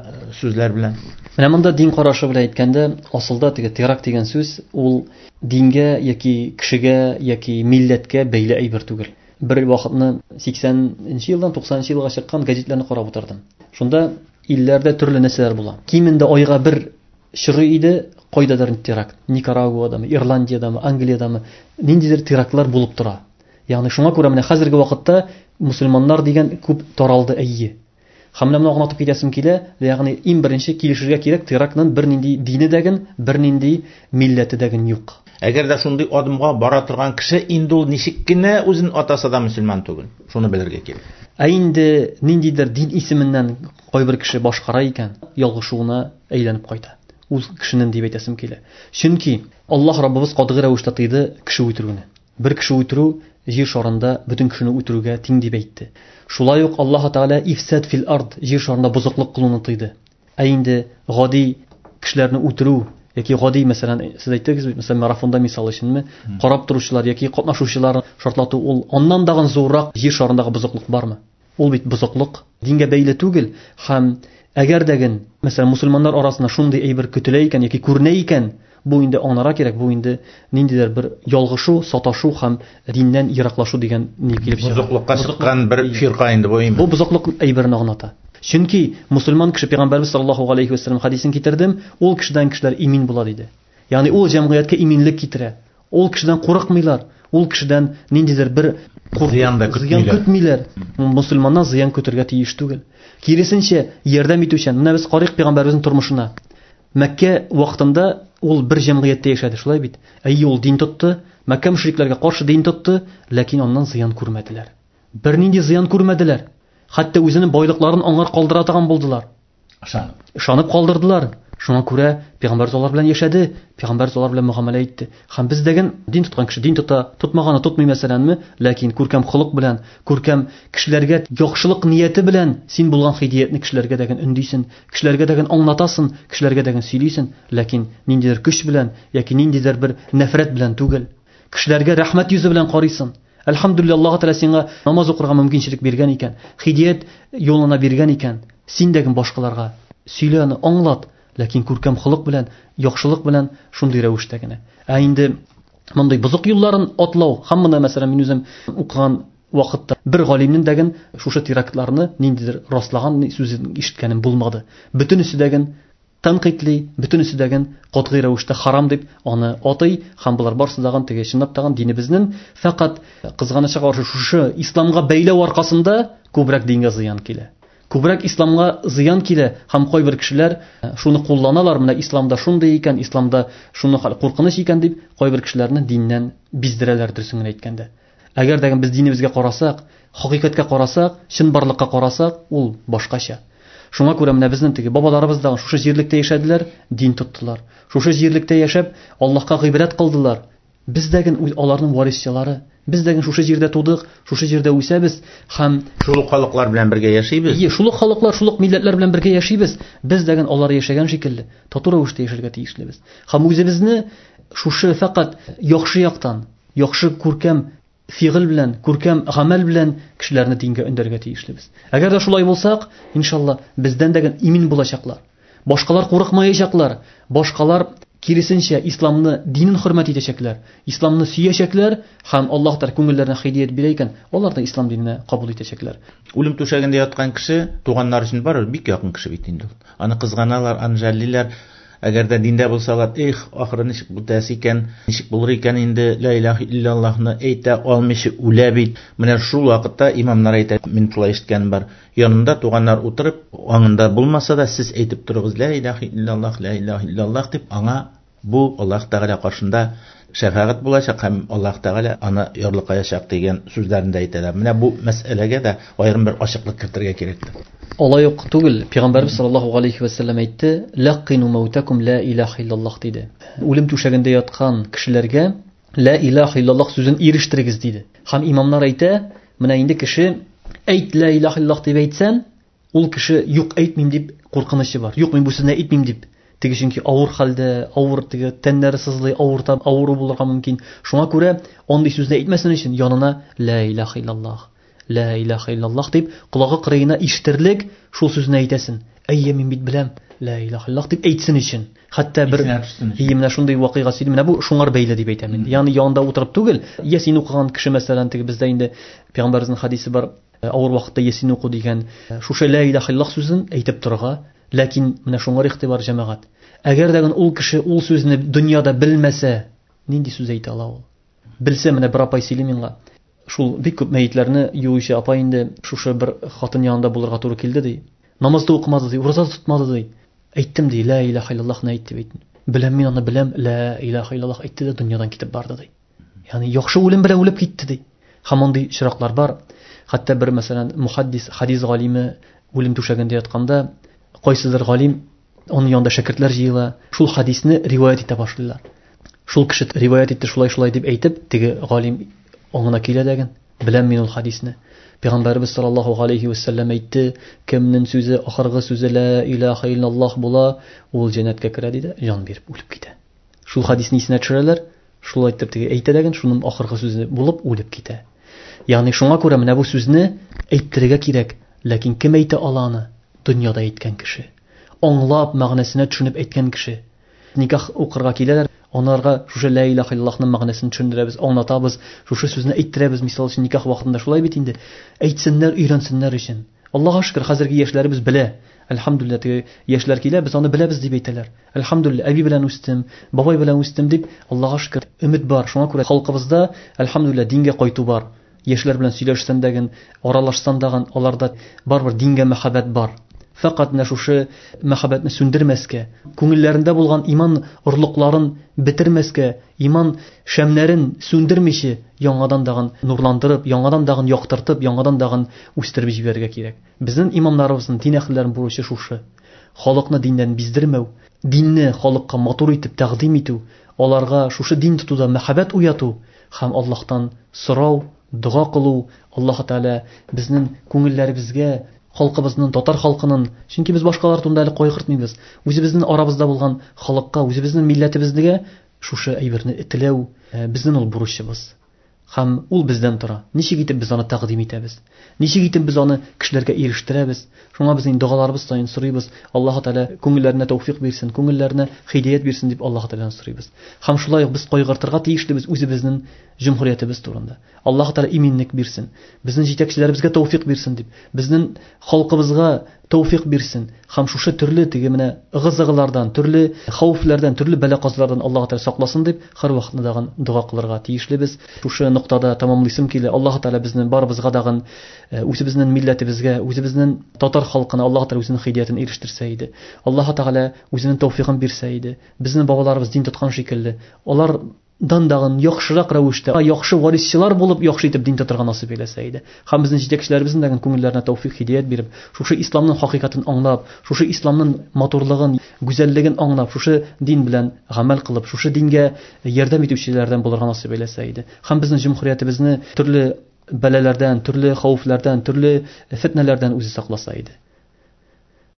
сүзләр белән. Менә монда дин карашы белән әйткәндә, асылда теге теракт дигән сүз ул дингә яки кешегә яки милләткә бәйле әйбер түгел. Бер вакытны 80-нче елдан 90-нчы елга чыккан газетларны карап утырдым. Шунда илләрдә төрле нәрсәләр була. Кимендә айга бер чоры иде, кайдадыр теракт. Никарагуадамы, Ирландиядәме, Англиядәме, ниндидер терактлар булып тора. Ягъни шуңа күрә менә хәзерге вакытта мусульманнар дигән күп таралды әйе. Һәм менә моны аңлатып китәсем килә, ягъни иң беренче килешергә кирәк, терактның бернинди дине дәген, бернинди милләте дәген юк. Әгәр дә шундый адымга бара торган кеше инде ул ничек кенә үзен атаса да мөселман түгел. Шуны белергә кирәк. Ә инде ниндидер дин исеменнән кайбер кеше башкара икән, ялгышуына әйләнеп кайта. Ул кешенең дип әйтәсем килә. Чөнки Аллаһ Раббыбыз катгый рәвештә тыйды кеше үтерүне. Бер кеше үтерү җир шарында бөтен кешене үтерүгә тиң дип әйтте. Шулай ук Аллаһ Тәгалә ифсад фил ард, җир шарында бозыклык кылуны тыйды. Ә инде гади кешеләрне үтерү яки гади, мәсәлән, сез әйттегез бит, мәсәлән, марафонда мисал өченме, карап торучылар яки катнашучылар шартлату, ул аннан дагын зуррак җир шарындагы бозыклык бармы? Ул бит бозыклык дингә бәйле түгел. Һәм әгәр дәген, мәсәлән, мусульманнар арасында шундый әйбер көтелә икән яки күренә икән, бу инде аңларга кирәк, бу инде ниндидер бер ялгышу, саташу һәм диннән ераклашу дигән ни килеп чыга. Бозыклыкка чыккан бер фирка инде бу инде. Бу бозыклык әйберен аңлата. Чөнки мусульман кеше Пәйгамбәрбез саллаллаһу алейхи ва саллям хадисен китердем, ул кешедән кешеләр имин була диде. Ягъни ул җәмгыятькә иминлек китерә. Ул кешедән курыкмыйлар, ул кешедән ниндидер бер зыян да зыян көтмиләр. Мусульманнан зыян көтергә тиеш түгел. Киресенчә, ярдәм итүчән. Менә без карыйк Пәйгамбәребезнең тормышына. Мәккә вакытында ул бер җәмгыятьтә яшәде, шулай бит? Әйе, ул дин тотты, Мәккә мөшрикләргә каршы дин тотты, ләкин аннан зыян күрмәделәр. Бернинди зыян күрмәделәр. Хәтта үзенең байлыкларын аңар калдыра торган булдылар. Ышанып. Ышанып калдырдылар. Шуңа күрә Пәйгамбәр алар белән яшәде, Пәйгамбәр алар белән мөгамәлә итте. Һәм без дәген дин тоткан кеше дин тота, тотмаганы тотмый мәсәләнме, ләкин күркәм холык белән, күркәм кешеләргә яхшылык нияте белән син булган хидиятне кешеләргә дәген өндисен, кешеләргә дәген аңлатасың, кешеләргә дәген сөйлисең, ләкин ниндидер көч белән яки ниндидер бер нәфрәт белән түгел. Кешеләргә рәхмәт йөзе белән карыйсың. Әлхәмдүлилләһ, Аллаһ Тәгалә сиңа намаз укырга мөмкинчелек биргән икән, хидият юлына биргән икән, син дә башкаларга сөйлә аны, аңлат, ләкин күркәм холык белән, яхшылык белән шундый рәвештә генә. Ә инде мондый бозык юлларын атлау, һәм моны, мәсәлән, мин үзем укыган вакытта бер галимнең дәген шушы терактларны ниндидер раслаган сүзен ишеткәнем булмады. Бөтенесе дәген тәнкыйтьли, бөтенесе дәген катгый рәвештә харам дип аны атый һәм болар барысы дагын теге чынлап тагын динебезнең фәкать кызганычка каршы шушы исламга бәйләү аркасында күбрәк дингә зыян килә. Күбрәк исламга зыян килә һәм кайбер кешеләр шуны кулланалар, менә исламда шундый икән, исламда шуны куркыныч икән дип кайбер кешеләрне диннән биздерәләр, дөресен генә әйткәндә. Әгәр дә без динебезгә карасак, хакыйкатькә карасак, чынбарлыкка карасак, ул башкача. Шуңа күрә менә безнең теге бабаларыбыз да шушы җирлектә яшәделәр, дин тоттылар. Шушы җирлектә яшәп, Аллаһка гыйбадәт кылдылар. Без дә аларның варисчылары. Без дә шушы җирдә тудык, шушы җирдә үсәбез һәм шул ук халыклар белән бергә яшибез. Ие, шул ук халыклар, шул ук милләтләр белән бергә яшибез. Без дә алар яшәгән шикелле тату рәвештә яшәргә тиешлебез. Һәм үзебезне шушы фәкать яхшы яктан, яхшы күркәм фигыль белән, күркәм гамәл белән кешеләрне дингә өндәргә тиешлебез. Әгәр дә шулай булсак, иншалла, бездән дә имин булачаклар. Башкалар курыкмаячаклар, башкалар киресенчә исламны, динен хөрмәт итәчәкләр, исламны сөячәкләр һәм Аллаһ Тәгалә күңелләренә һидәят бирә икән, алар да ислам диненә кабул итәчәкләр. Үлем түшәгендә яткан кеше туганнар өчен барыбер бик якын кеше бит инде ул. Аны кызганалар, аны жәллиләр. Әгәр дә диндә булсалар, эх, ахыры ничек бетәсе икән, ничек булыр икән инде, ла илаһа иллаллаһны әйтә алмыйча үлә бит. Менә шул вакытта имамнар әйтә, мин шулай ишеткәнем бар. Янында туганнар утырып, аңында булмаса да, сез әйтеп торыгыз, ла илаһа иллаллаһ, ла илаһа иллаллаһ дип, аңа бу Аллаһ Тәгалә каршында шәфәгать булачак һәм Аллаһ Тәгалә аны ярлыкаячак дигән сүзләрен дә әйтәләр. Менә бу мәсьәләгә дә аерым бер ачыклык кертергә кирәктер. Алай ук түгел, Пәйгамбәрбез саллаллаһу алейхи ва сәлләм әйтте, "Лаққину маутакум ла илаһа иллаллаһ" диде. Үлем түшәгендә яткан кешеләргә ла илаһа иллаллаһ сүзен ирештерегез диде. Һәм имамнар әйтә, менә инде кеше әйт ла илаһа иллаллаһ дип әйтсән, ул кеше юк әйтмим дип куркынычы бар. Юк, мин бу сүзне әйтмим дип. Теге чөнки авыр хәлдә, авыр теге тәннәре сызлый, авырта, авыру булырга мөмкин. Шуңа күрә андый сүзне әйтмәсен өчен янына ла илаһа иллаллаһ, ла илаһа иллаллаһ дип колагы кырыена ишетерлек шул сүзне әйтәсен. Әйе, мин бит беләм, ла илаһа иллаллаһ дип әйтсен өчен. Хәтта бер менә шундый вакыйга сөйли, менә бу шуңар бәйле дип әйтәм инде. Ягъни янында утырып түгел, ясин укыган кеше мәсәлән, теге бездә инде пәйгамбәребезнең хадисе бар, авыр вакытта ясин уку дигән, шушы ла илаһа иллаллаһ сүзен әйтеп торырга. Ләкин менә шуңар игътибар җәмәгать. Әгәр дә ул кеше ул сүзне дөньяда белмәсә, нинди сүз әйтә ала ул? Белсә, менә бер апай сөйли миңа. Шул бик күп мәетләрне юучы апай инде шушы бер хатын янында булырга туры килде ди. Намаз да укымады ди, ураза да тотмады ди. Әйттем ди, ла илаһа иллаллаһны әйт дип әйттем. Беләм мин аны, беләм, ла илаһа иллаллаһ әйтте дә дөньядан китеп барды ди. Ягъни яхшы үлем белән үлеп китте ди. Һәм мондый очраклар бар. Хәтта бер мәсәлән мухаддис, хадис галиме үлем түшәгендә ятканда кайсыдыр галим, аның янында шәкертләр җыела, шул хадисне риваять итә башлыйлар. Шул кеше риваять итте шулай-шулай дип әйтеп, теге галим аңына килә дәген, беләм мин ул хадисне. Пәйгамбәребез саллаллаһу алейхи ва сәлләм әйтте, кемнең сүзе ахыргы сүзе ла илаһа иллаллаһ була, ул җәннәткә керә диде, җан биреп үлеп китә. Шул хадисне исенә төшерәләр, шулай итеп теге әйтә дәген, шуның ахыргы сүзе булып үлеп китә. Ягъни шуңа күрә менә бу сүзне әйттерергә кирәк, ләкин кем әйтә ала аны? Дөньяда әйткән кеше. Аңлап, мәгънәсенә төшенеп әйткән кеше. Никах укырга киләләр, аларга шушы ла илаһа иллаллаһның мәгънәсен төшендерәбез, аңлатабыз, шушы сүзне әйттерәбез, мисал өчен никах вакытында шулай бит инде. Әйтсеннәр, өйрәнсеннәр өчен. Аллаһка шөкер, хәзерге яшьләребез белә. Әлхәмдүлилләһ, теге яшьләр килә, без аны беләбез дип әйтәләр. Әлхәмдүлилләһ, әби белән үстем, бабай белән үстем дип, Аллаһка шөкер, өмет бар. Шуңа күрә халкыбызда әлхәмдүлилләһ дингә кайту бар. Яшьләр белән сөйләшсән дәген, аралашсан дагын, аларда барыбер дингә мәхәббәт бар. Фәкать менә шушы мәхәббәтне сүндермәскә, күңелләрендә булган иман орлыкларын бетермәскә, иман шәмнәрен сүндермичә, яңадан дагын нурландырып, яңадан дагын яктыртып, яңадан дагын үстереп җибәрергә кирәк. Безнең имамнарыбызның, дин әһелләренең бурычы шушы. Халыкны диннән биздермәү, динне халыкка матур итеп тәкъдим итү, аларга шушы дин тотуда мәхәббәт уяту һәм Аллаһтан сорау, дога кылу, Аллаһ Тәгалә безнең күңелләребезгә, халкыбызның, татар халкының, чөнки без башкалар турында әле кайгыртмыйбыз, үзебезнең арабызда булган халыкка, үзебезнең милләтебезгә шушы әйберне теләү безнең ул бурычыбыз. Һәм ул бездән тора. Ничек итеп без аны тәкъдим итәбез? Ничек итеп без аны кешеләргә ирештерәбез? Шуңа без инде догаларыбыз саен сорыйбыз. Аллаһ Тәгалә күңелләренә тәүфик бирсен, күңелләренә һидәят бирсен дип Аллаһ Тәгаләдән сорыйбыз. Һәм шулай ук без кайгыртырга тиешлебез үзебезнең Җөмһүриятебез турында. Аллаһ Тәгалә иминлек бирсен. Безнең җитәкчеләребезгә тәүфик бирсен дип, безнең халкыбызга тәүфик бирсен. Һәм шушы төрле теге менә ыгы-зыгылардан, төрле хәвефләрдән, төрле бәла-казалардан Аллаһ Тәгалә сакласын дип, һәр вакытны дагын дога кылырга тиешлебез. Шушы ноктада тамамлыйсым килә. Аллаһ Тәгалә безне барыбызга дагын үзебезнең милләтебезгә, үзебезнең татар халкына Аллаһ Тәгалә үзенең һидәятен ирештерсә иде. Аллаһ Тәгалә үзенең тәүфигын бирсә иде. Безнең бабаларыбыз дин тоткан шикелле, алар дан дагын яхшырак рәвештә, яхшы варисчылар булып, яхшы итеп дин тотырга насыйп әйләсә иде. Һәм безнең җитәкчеләребезнең дә күңелләренә тәүфик, һидәят биреп, шушы исламның хакыйкатын аңлап, шушы исламның матурлыгын, гүзәллеген аңлап, шушы дин белән гамәл кылып, шушы дингә ярдәм итүчеләрдән булырга насыйп әйләсә иде. Һәм безнең җөмһүриятебезне төрле бәлаләрдән, төрле хәвефләрдән, төрле фитнәләрдән үзе сакласа иде.